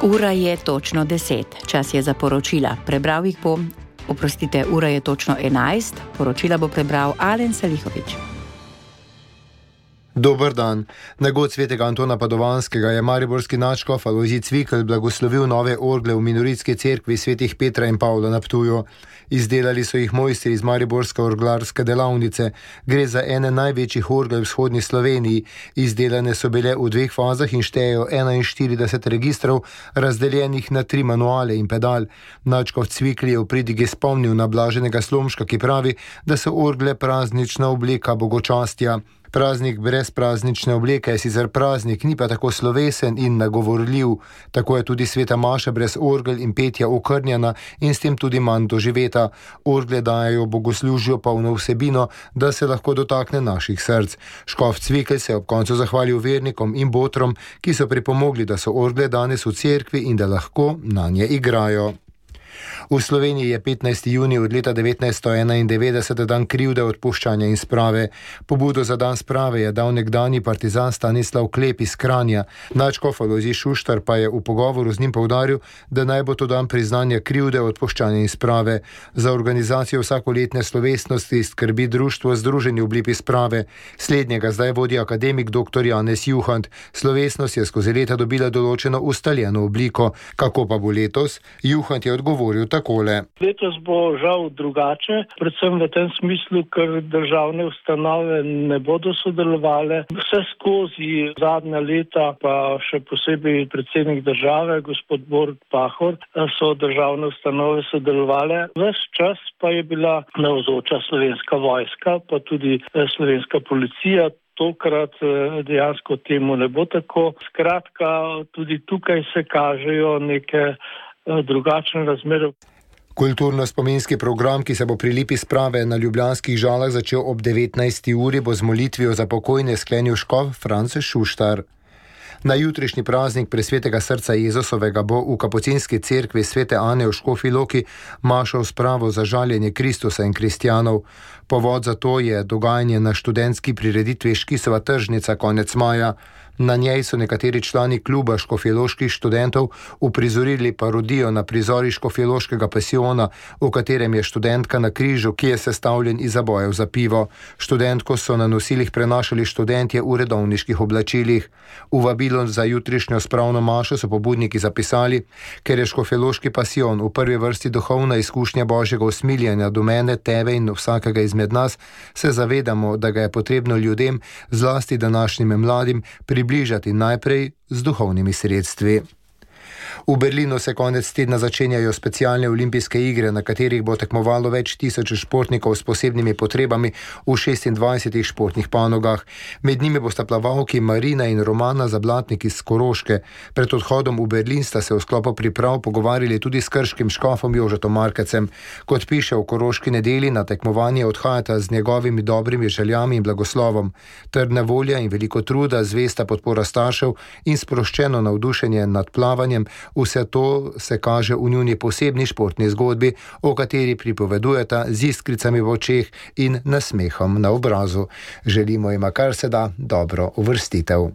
Ura je točno 10, čas je za poročila. Prebral jih bo, ura je točno 11, poročila bo prebral Alen Salihovič. Dober dan. Na god svetega Antona Padovanskega je mariborski nadškof Alojzij Cvikl blagoslovil nove orgle v minoritski cerkvi svetih Petra in Pavla na Ptuju. Izdelali so jih mojstri iz mariborske orglarske delavnice. Gre za ene največjih orgel v vzhodni Sloveniji. Izdelane so bile v dveh fazah in štejejo 41 registrov, razdeljenih na 3 manuale in pedal. Nadškof Cvikl je v pridigi spomnil na Blaženega Slomška, ki pravi, da so orgle praznična obleka bogočastja. Praznik brez praznične obleke je sicer praznik, ni pa tako slovesen in nagovorljiv. Tako je tudi sveta maša brez orgel in petja okrnjena in s tem tudi manj doživeta. Orgle dajejo bogoslužju polno vsebino, da se lahko dotakne naših src. Škof Cvikl se je ob koncu zahvalil vernikom in botrom, ki so pripomogli, da so orgle danes v cerkvi in da lahko nanje igrajo. V Sloveniji je 15. junij od leta 1991 dan krivde, odpuščanja in sprave. Pobudo za dan sprave je dal nekdanji partizan Stanislav Klep iz Kranja. Nadškof Alojzij Šuštar pa je v pogovoru z njim poudaril, da naj bo to dan priznanja krivde, odpuščanja in sprave. Za organizacijo vsakoletne slovesnosti skrbi društvo Združeni oblipi sprave. Slednjega zdaj vodi akademik dr. Janez Juhant. Slovesnost je skozi leta dobila določeno ustaljeno obliko. Kako pa bo letos? Juhant je odgovoril takole. Letos bo žal drugače, predvsem v tem smislu, ker državne ustanove ne bodo sodelovale. Vse skozi zadnja leta, pa še posebej predsednik države, gospod Borut Pahor, so državne ustanove sodelovale. Ves čas pa je bila navzoča Slovenska vojska, pa tudi Slovenska policija. Tokrat dejansko temu ne bo tako. Skratka, tudi tukaj se kažejo neke drugačne razmere. Kulturno-spominski program, ki se bo pri lipi sprave na ljubljanskih Žalah začel ob 19. uri, bo z molitvijo za pokojne sklenil škof Franc Šuštar. Na jutrišnji praznik presvetega srca Jezusovega bo v kapucinski cerkvi svete Ane v Škofji Loki mašal spravo za žaljenje Kristusa in kristjanov. Povod za to je dogajanje na študentski prireditvi Škisova tržnica konec maja. Na njej so nekateri člani kluba škofjeloških študentov uprizorili parodijo na prizori škofjeloškega pasiona, v katerem je študentka na križu, ki je sestavljen iz zabojev za pivo. Študentko so na nosilih prenašali študentje v redovniških oblačilih. V vabilo za jutrišnjo spravno mašo so pobudniki zapisali: ker je škofjeloški pasion v prvi vrsti duhovna izkušnja Božjega usmiljanja do mene, tebe in vsakega izmed nas, se zavedamo, da ga je potrebno ljudem, zlasti današnjim mladim, približati najprej z duhovnimi sredstvi. V Berlinu se konec tedna začenjajo specialne olimpijske igre, na katerih bo tekmovalo več tisoč športnikov s posebnimi potrebami v 26 športnih panogah. Med njimi bosta plavalki Marina in Romana Zablatnik iz Koroške. Pred odhodom v Berlin sta se v sklopu priprav pogovarjali tudi s krškim škofom Jožetom Markecem. Kot piše v Koroški nedelji, na tekmovanje odhajata z njegovimi dobrimi željami in blagoslovom. Trdna volja in veliko truda, zvesta podpora staršev in sproščeno navdušenje nad plavanjem, vse to se kaže v njuni posebni športni zgodbi, o kateri pripovedujeta z iskricami v očeh in nasmehom na obrazu. Želimo jima kar se da dobro uvrstitev.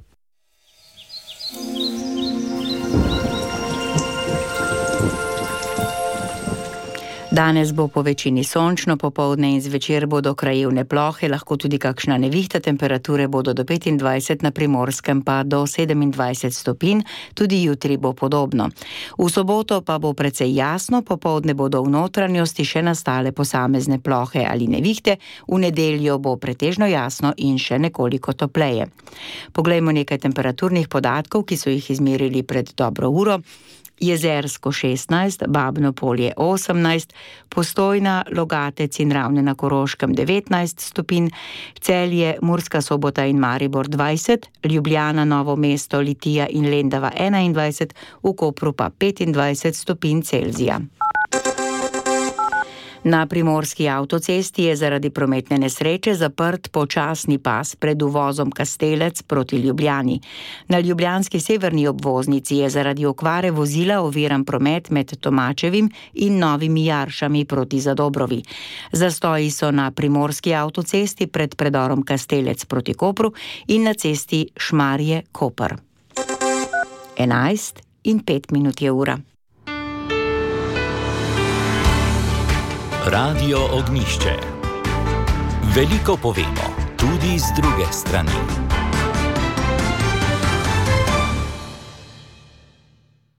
Danes bo po večini sončno, popoldne in zvečer bodo krajevne plohe, lahko tudi kakšna nevihta, temperature bodo do 25 na Primorskem pa do 27 stopinj, tudi jutri bo podobno. V soboto pa bo precej jasno, popoldne bodo v notranjosti še nastale posamezne plohe ali nevihte, v nedeljo bo pretežno jasno in še nekoliko topleje. Poglejmo nekaj temperaturnih podatkov, ki so jih izmerili pred dobro uro. Jezersko 16, Babno Polje 18, Postojna, Logatec in Ravne na Koroškem 19 stopinj, Celje, Murska Sobota in Maribor 20, Ljubljana, Novo mesto, Litija in Lendava 21, v Kopru pa 25 stopinj Celzija. Na primorski avtocesti je zaradi prometne nesreče zaprt počasni pas pred uvozom Kastelec proti Ljubljani. Na ljubljanski severni obvoznici je zaradi okvare vozila oviran promet med Tomačevim in Novimi Jaršami proti Zadobrovi. Zastoji so na primorski avtocesti pred predorom Kastelec proti Kopru in na cesti Šmarje-Koper. 11 9:05 je ura. Radio Ognjišče. Veliko povemo, tudi z druge strani.